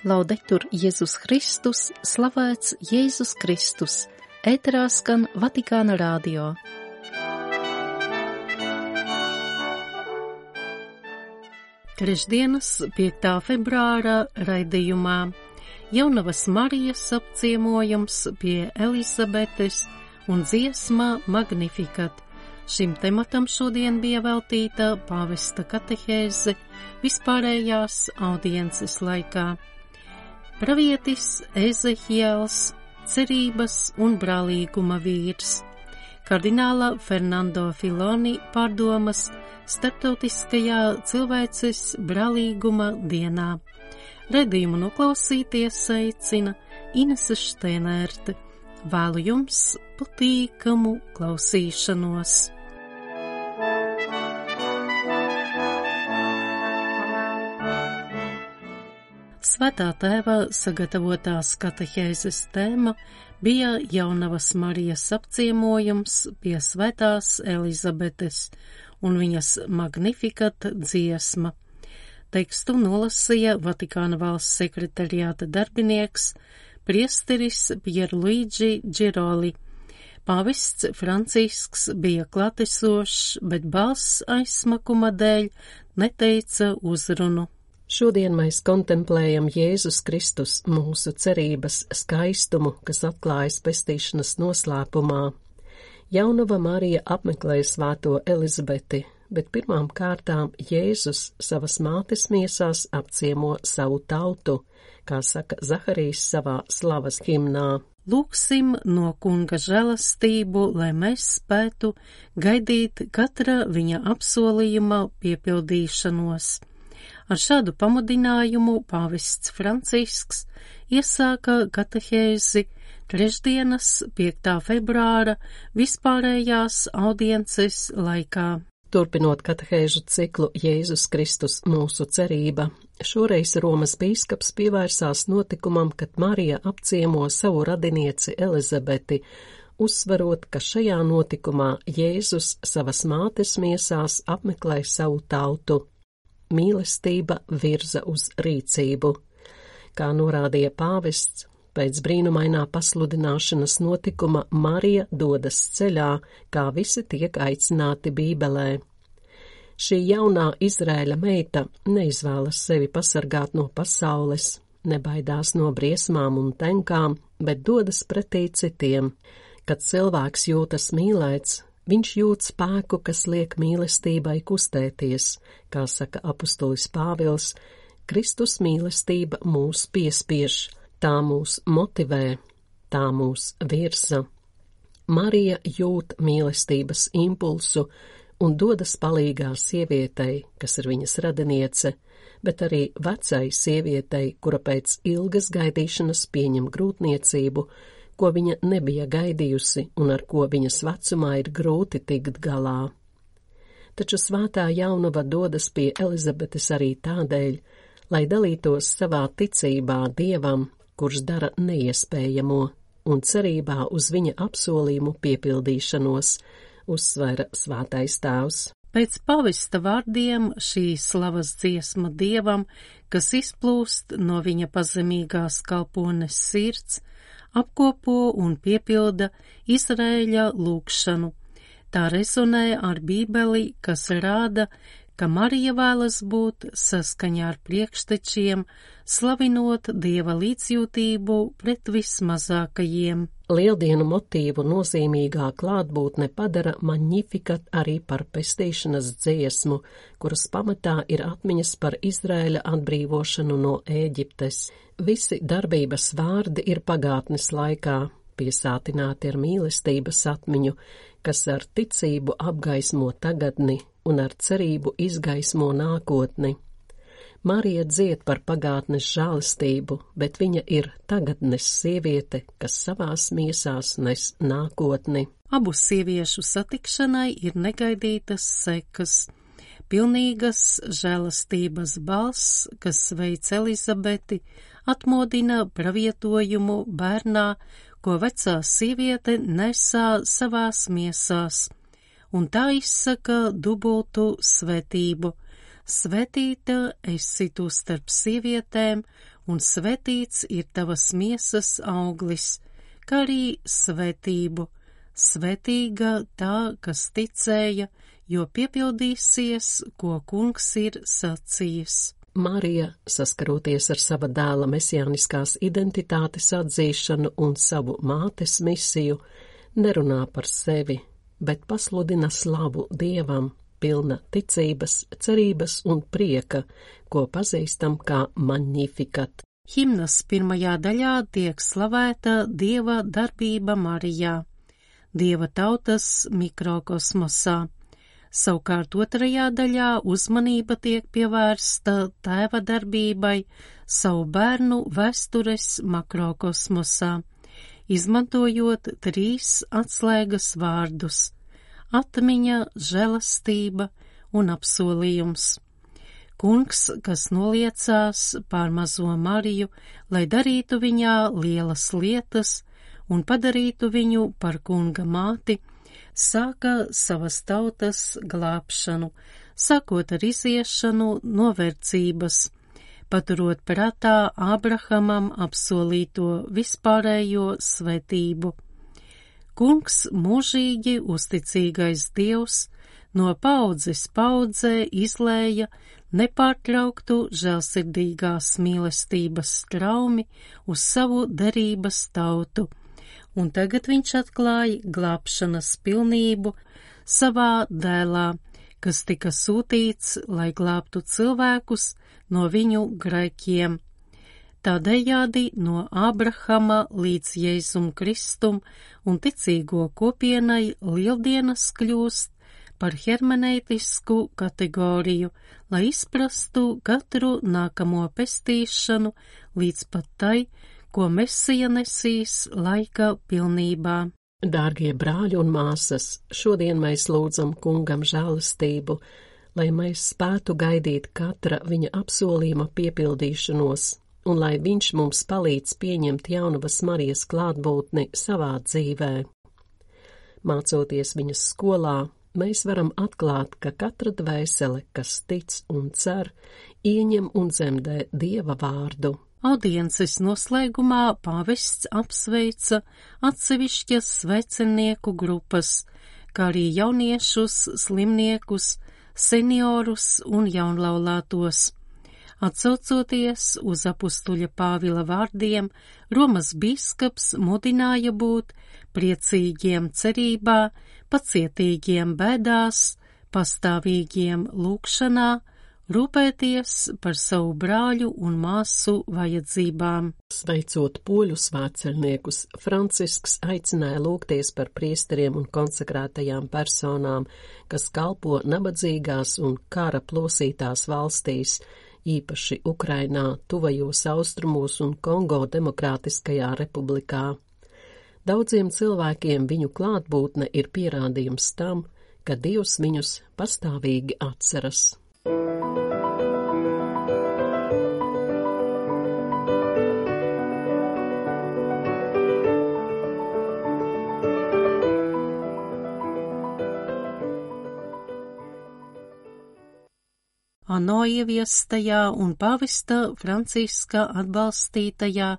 Laudetur Jēzus Kristus, slavēts Jēzus Kristus, ēterā skan Vatikāna radio. Trešdienas 5. februāra raidījumā Jaunavas Marijas apciemojums pie Elizabetes un dziesma Magnificat. Šim tematam šodien bija veltīta pāvesta katehēze vispārējās audiences laikā. Pravietis Ezehiels, cerības un brālīguma vīrs. Kardināla Fernando Filoni pārdomas starptautiskajā cilvēces brālīguma dienā. Raidījumu noklausīties aicina Inese Šteinerte. Vēlu jums patīkamu klausīšanos. Svētā tēva sagatavotās katehēzes tēma bija Jaunavas Marijas apciemojums pie Svētās Elizabetes un viņas Magnificat dziesma. Tekstu nolasīja Vatikāna valsts sekretariāta darbinieks priesteris Pierluigi Giroli. Pāvests Francisks bija klātesošs, bet balss aizsmakuma dēļ neteica uzrunu. Šodien mēs kontemplējam Jēzus Kristus, mūsu cerības skaistumu, kas atklājas pestīšanas noslēpumā. Jaunava Marija apmeklēja svēto Elizabeti, bet pirmām kārtām Jēzus savas mātes miesās apciemo savu tautu, kā saka Zaharijs savā slavas himnā. Lūksim no Kunga žēlastību, lai mēs spētu gaidīt katra viņa apsolījuma piepildīšanos. Ar šādu pamudinājumu pāvests Francisks iesāka katehēzi trešdienas 5. februāra vispārējās audiences laikā. Turpinot katehēžu ciklu Jēzus Kristus mūsu cerība, šoreiz Romas bīskaps pievērsās notikumam, kad Marija apciemo savu radinieci Elizabeti, uzsvarot, ka šajā notikumā Jēzus savas mātes miesās apmeklē savu tautu. Mīlestība virza uz rīcību. Kā norādīja pāvests, pēc brīnumainā pasludināšanas notikuma Marija dodas ceļā, kā visi tiek aicināti Bībelē. Šī jaunā Izraēļa meita neizvēlas sevi pasargāt no pasaules, nebaidās no briesmām un tenkām, bet dodas pretī citiem. Kad cilvēks jūtas mīlēts, viņš jūt spēku, kas liek mīlestībai kustēties, kā saka apustulis Pāvils, Kristus mīlestība mūs piespiež, tā mūs motivē, tā mūs virza. Marija jūt mīlestības impulsu un dodas palīgā sievietei, kas ir viņas radiniece, bet arī vecai sievietei, kura pēc ilgas gaidīšanas pieņem grūtniecību, ko viņa nebija gaidījusi un ar ko viņas vecumā ir grūti tikt galā. Taču svētā jaunava dodas pie Elizabetes arī tādēļ, lai dalītos savā ticībā Dievam, kurš dara neiespējamo, un cerībā uz viņa apsolījumu piepildīšanos, uzsvēra svētais tēvs. Pēc pavesta vārdiem šī slavas dziesma Dievam, kas izplūst no viņa pazemīgās kalpones sirds, apkopo un piepilda Izraēļa lūgšanu. Tā rezonē ar Bībeli, kas rāda, ka Marija vēlas būt saskaņā ar priekštečiem, slavinot Dieva līdzjūtību pret vismazākajiem. Lieldienu motīvu nozīmīgā klātbūtne padara Magnificat arī par pestīšanas dziesmu, kuras pamatā ir atmiņas par Izraēļa atbrīvošanu no Ēģiptes. Visi darbības vārdi ir pagātnes laikā, piesātināti ar mīlestības atmiņu, kas ar ticību apgaismo tagadni un ar cerību izgaismo nākotni. Marija dzied par pagātnes žēlastību, bet viņa ir tagadnes sieviete, kas savās miesās nes nākotni. Abu sieviešu satikšanai ir negaidītas sekas. Pilnīgas žēlastības balss, kas sveic Elizabeti, atmodina pravietojumu bērnā, ko vecā sieviete nesā savās miesās, un tā izsaka dubultu svētību, Svētīta esi tu starp sievietēm, un svētīts ir tavas miesas auglis, kā arī svētību. Svētīga tā, kas ticēja, jo piepildīsies, ko kungs ir sacījis. Marija, saskaroties ar sava dēla mesijāniskās identitātes atzīšanu un savu mātes misiju, nerunā par sevi, bet pasludina slavu Dievam, pilna ticības, cerības un prieka, ko pazīstam kā Magnificat. Himnas pirmajā daļā tiek slavēta Dieva darbība Marijā, Dieva tautas mikrokosmosā. Savukārt otrajā daļā uzmanība tiek pievērsta tēva darbībai savu bērnu vēstures makrokosmosā, izmantojot 3 atslēgas vārdus – atmiņa, žēlastība un apsolījums. Kungs, kas noliecās pār mazo Mariju, lai darītu viņā lielas lietas un padarītu viņu par kunga māti, sāka savas tautas glābšanu, sākot ar iziešanu no verdzības, paturot prātā Ābrahamam apsolīto vispārējo svētību. Kungs, mūžīgi uzticīgais Dievs, no paudzes paudzē izlēja nepārtrauktu žēlsirdīgās mīlestības straumi uz savu derības tautu, un tagad viņš atklāja glābšanas pilnību savā dēlā, kas tika sūtīts, lai glābtu cilvēkus no viņu grēkiem. Tādējādi no Ābrahama līdz Jēzum Kristum un ticīgo kopienai lieldienas kļūst par hermeneitisku kategoriju, lai izprastu katru nākamo pestīšanu līdz pat tai, ko Mesija nesīs laika pilnībā. Dārgie brāļi un māsas, šodien mēs lūdzam kungam žēlastību, lai mēs spētu gaidīt katra viņa apsolījuma piepildīšanos, un lai viņš mums palīdz pieņemt jaunavas Marijas klātbūtni savā dzīvē. Mācoties viņas skolā, mēs varam atklāt, ka katra dvēsele, kas tic un cer, ieņem un dzemdē Dieva vārdu. Audiences noslēgumā pāvests apsveica atsevišķas svecenieku grupas, kā arī jauniešus, slimniekus, seniorus un jaunlaulātos. Atsaucoties uz apustuļa Pāvila vārdiem, Romas bīskaps mudināja būt priecīgiem cerībā, pacietīgiem bēdās, pastāvīgiem lūgšanā, rūpēties par savu brāļu un māsu vajadzībām. Sveicot poļu svētceļniekus, Francisks aicināja lūgties par priesteriem un konsekrētajām personām, kas kalpo nabadzīgās un kara plosītās valstīs, īpaši Ukrainā, tuvajos austrumos un Kongo Demokrātiskajā republikā. Daudziem cilvēkiem viņu klātbūtne ir pierādījums tam, ka Dievs viņus pastāvīgi atceras. ANO ieviestajā un pāvesta Franciska atbalstītajā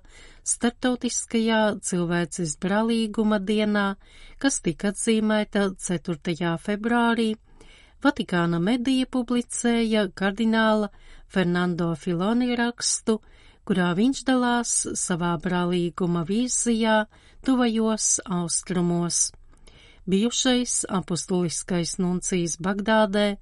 starptautiskajā cilvēces brālīguma dienā, kas tika atzīmēta 4. februārī, Vatikāna medija publicēja kardināla Fernando Filoni rakstu, kurā viņš dalās savā brālīguma vīzijā tuvajos austrumos. Bijušais apostuliskais nuncijs Bagdādē,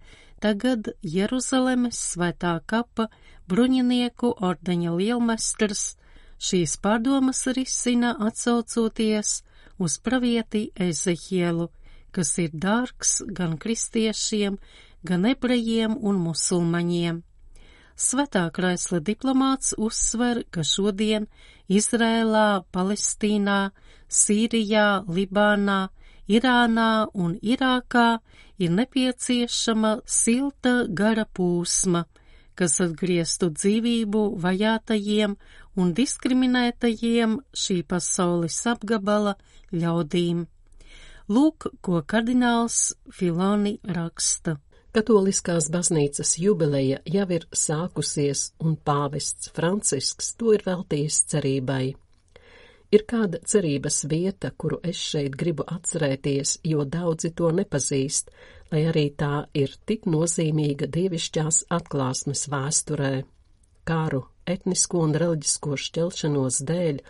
tagad Jeruzalemes svētā kapa bruņinieku ordeņa lielmestrs, šīs pārdomas risina atsaucoties uz pravieti Ezehielu, kas ir dārgs gan kristiešiem, gan ebrejiem un musulmaņiem. Svētā Kraisla diplomāts uzsver, ka šodien Izrēlā, Palestīnā, Sīrijā, Libānā, Irānā un Irākā ir nepieciešama silta gara pūsma, kas atgrieztu dzīvību vajātajiem un diskriminētajiem šī pasaules apgabala ļaudīm. Lūk, ko kardināls Filoni raksta. Katoliskās baznīcas jubileja jau ir sākusies, un pāvests Francisks to ir veltījis cerībai. Ir kāda cerības vieta, kuru es šeit gribu atcerēties, jo daudzi to nepazīst, lai arī tā ir tik nozīmīga dievišķās atklāsmes vēsturē. Kāru, etnisko un reliģisko šķelšanos dēļ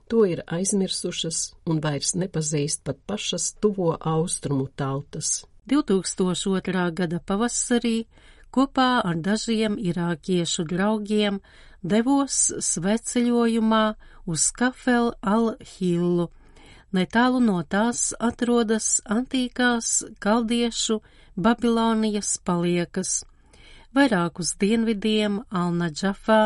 to ir aizmirsušas un vairs nepazīst pat pašas tuvo austrumu tautas. 2002. gada pavasarī kopā ar dažiem irākiešu draugiem devos svētceļojumā uz Kafel al-Hillu. Netālu no tās atrodas antīkās kaldiešu Babilonijas paliekas. Vairāk uz dienvidiem Al-Nadžafā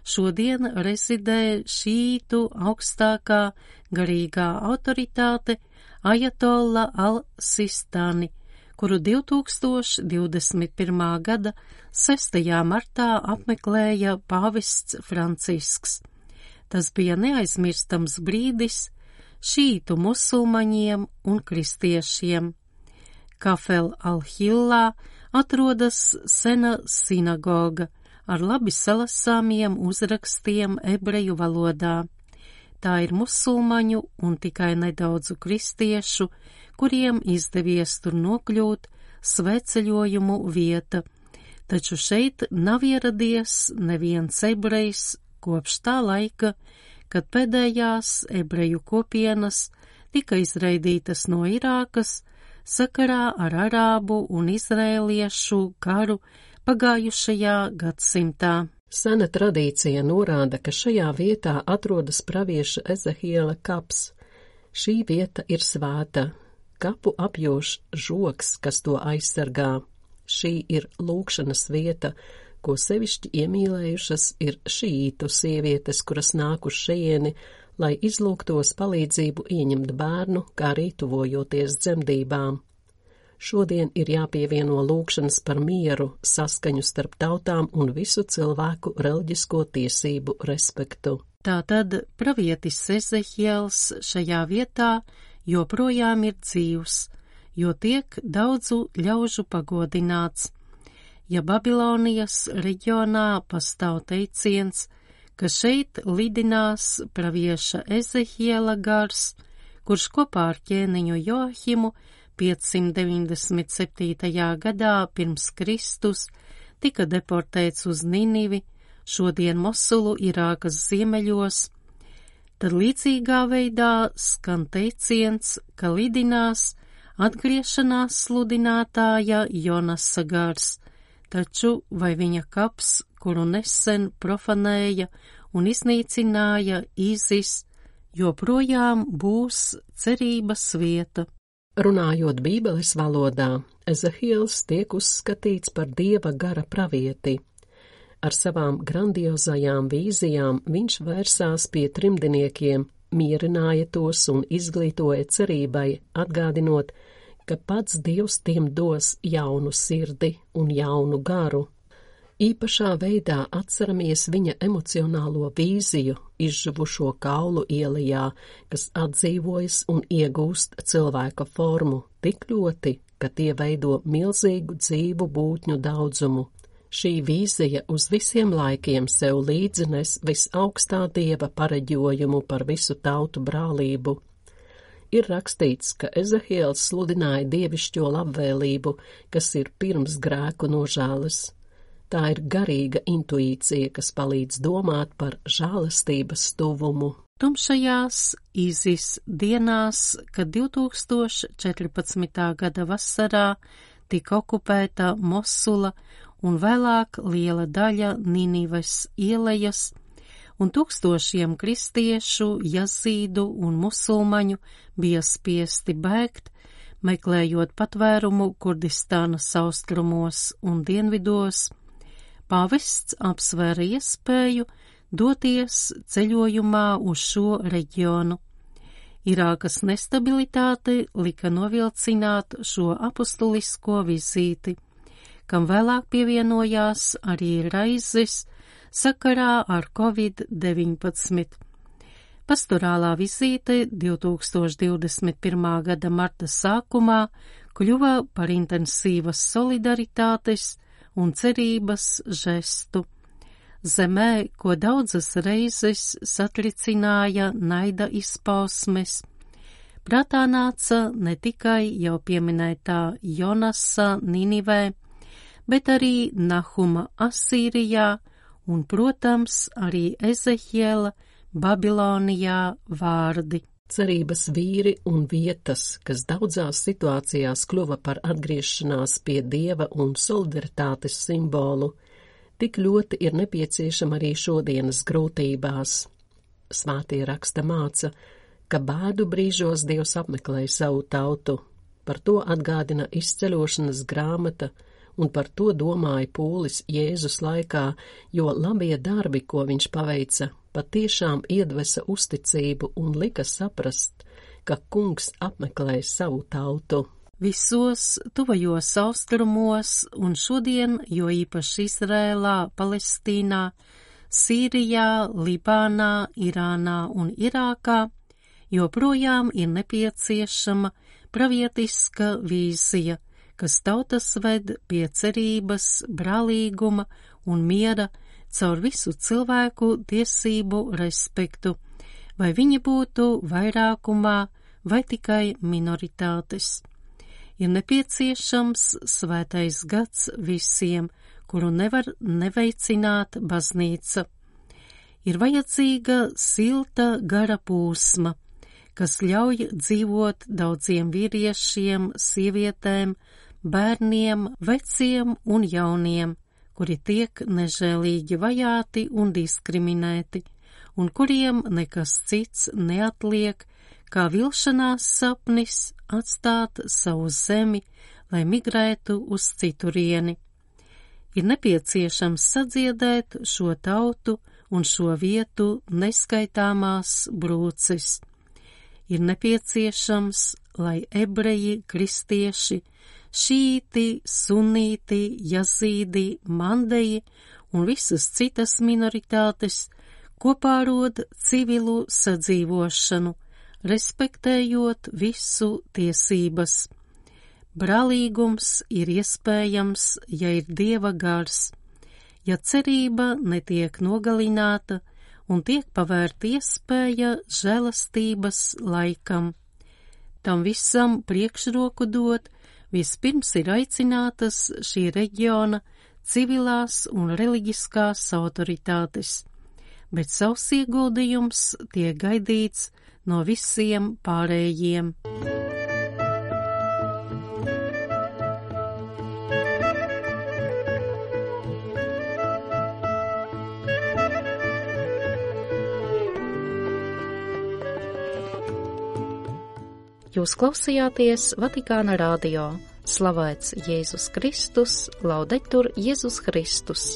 šodien rezidē šītu augstākā garīgā autoritāte Ajatolla al-Sistani, kuru 2021. gada 6. martā apmeklēja pāvests Francisks. Tas bija neaizmirstams brīdis šītu musulmaņiem un kristiešiem. Kafel al-Hillā atrodas sena sinagoga ar labi salasāmiem uzrakstiem ebreju valodā. Tā ir musulmaņu un tikai nedaudzu kristiešu, kuriem izdevies tur nokļūt, svētceļojumu vieta, taču šeit nav ieradies neviens ebrejs kopš tā laika, kad pēdējās ebreju kopienas tika izraidītas no Irākas sakarā ar arābu un izrēliešu karu pagājušajā gadsimtā. Sena tradīcija norāda, ka šajā vietā atrodas pravieša Ezehiela kaps. Šī vieta ir svēta. Kapu apjoš žogs, kas to aizsargā. Šī ir lūgšanas vieta, ko sevišķi iemīlējušas ir šītu sievietes, kuras nāk uz šejieni, lai izlūgtos palīdzību ieņemt bērnu, kā arī tuvojoties dzemdībām. Šodien ir jāpievieno lūgšanas par mieru, saskaņu starp tautām un visu cilvēku reliģisko tiesību respektu. Tātad pravietis Ezehiels šajā vietā joprojām ir dzīvs, jo tiek daudzu ļaužu pagodināts. Ja Babilonijas reģionā pastāv teiciens, ka šeit lidinās pravieša Ezehiela gars, kurš kopā ar ķēniņu Joahimu 597. gadā pirms Kristus tika deportēts uz Ninivi, šodien Mosulu, Irākas ziemeļos, tad līdzīgā veidā skan teiciens, ka lidinās atgriešanās sludinātāja Jonasa gars, taču vai viņa kaps, kuru nesen profanēja un iznīcināja ISIS, joprojām būs cerības vieta. Runājot Bībeles valodā, Ezehiels tiek uzskatīts par Dieva gara pravieti. Ar savām grandiozajām vīzijām viņš vērsās pie trimdiniekiem, mierināja tos un izglītoja cerībai, atgādinot, ka pats Dievs tiem dos jaunu sirdi un jaunu garu. Īpašā veidā atceramies viņa emocionālo vīziju izžuvušo kaulu ielajā, kas atdzīvojas un iegūst cilvēka formu tik ļoti, ka tie veido milzīgu dzīvu būtņu daudzumu. Šī vīzija uz visiem laikiem sev līdzi nes visaugstā Dieva pareģojumu par visu tautu brālību. Ir rakstīts, ka Ezehiels sludināja dievišķo labvēlību, kas ir pirms grēku nožēlas. Tā ir garīga intuīcija, kas palīdz domāt par žēlastības tuvumu. Tumšajās ISIS dienās, kad 2014. gada vasarā tika okupēta Mosula un vēlāk liela daļa Ninives ielejas, un tūkstošiem kristiešu, jazīdu un musulmaņu bija spiesti bēgt, meklējot patvērumu Kurdistānas austrumos un dienvidos, pāvests apsvēra iespēju doties ceļojumā uz šo reģionu. Irākas nestabilitāte lika novilcināt šo apustulisko vizīti, kam vēlāk pievienojās arī raizes sakarā ar Covid-19. Pastorālā vizīte 2021. gada marta sākumā kļuva par intensīvas solidaritātes un cerības žestu. Zemē, ko daudzas reizes satricināja naida izpausmes, prātā nāca ne tikai jau pieminētā Jonasa Ninivē, bet arī Nahuma Asīrijā un, protams, arī Ezehiela Babilonijā vārdi. Cerības vīri un vietas, kas daudzās situācijās kļuva par atgriešanās pie Dieva un solidaritātes simbolu, tik ļoti ir nepieciešama arī šodienas grūtībās. Svētie raksta māca, ka bēdu brīžos Dievs apmeklē savu tautu. Par to atgādina izceļošanas grāmata, un par to domāja Pūlis Jēzus laikā, jo labie darbi, ko viņš paveica, patiešām iedvesa uzticību un lika saprast, ka Kungs apmeklē savu tautu. Visos tuvajos austrumos un šodien, jo īpaši Izrēlā, Palestīnā, Sīrijā, Libānā, Irānā un Irākā, joprojām ir nepieciešama pravietiska vīzija, kas tautas ved pie cerības, brālīguma un miera caur visu cilvēku tiesību respektu, vai viņi būtu vairākumā vai tikai minoritātes. Ir nepieciešams svētais gads visiem, kuru nevar neveicināt baznīca. Ir vajadzīga silta gara pūsma, kas ļauj dzīvot daudziem vīriešiem, sievietēm, bērniem, veciem un jauniem, kuri tiek nežēlīgi vajāti un diskriminēti, un kuriem nekas cits neatliek, kā vilšanās sapnis atstāt savu zemi, lai migrētu uz citurieni. Ir nepieciešams sadziedēt šo tautu un šo vietu neskaitāmās brūces. Ir nepieciešams, lai ebreji, kristieši, šīti, sunīti, jazīdi, mandeji un visas citas minoritātes kopā rod civilu sadzīvošanu, respektējot visu tiesības. Brālīgums ir iespējams, ja ir Dieva gars, ja cerība netiek nogalināta un tiek pavērta iespēja žēlastības laikam. Tam visam priekšroku dot, vispirms ir aicinātas šī reģiona civilās un reliģiskās autoritātes, bet savs ieguldījums tiek gaidīts no visiem pārējiem. Jūs klausījāties Vatikāna radio. Slavēts Jēzus Kristus, laudetur Jēzus Kristus.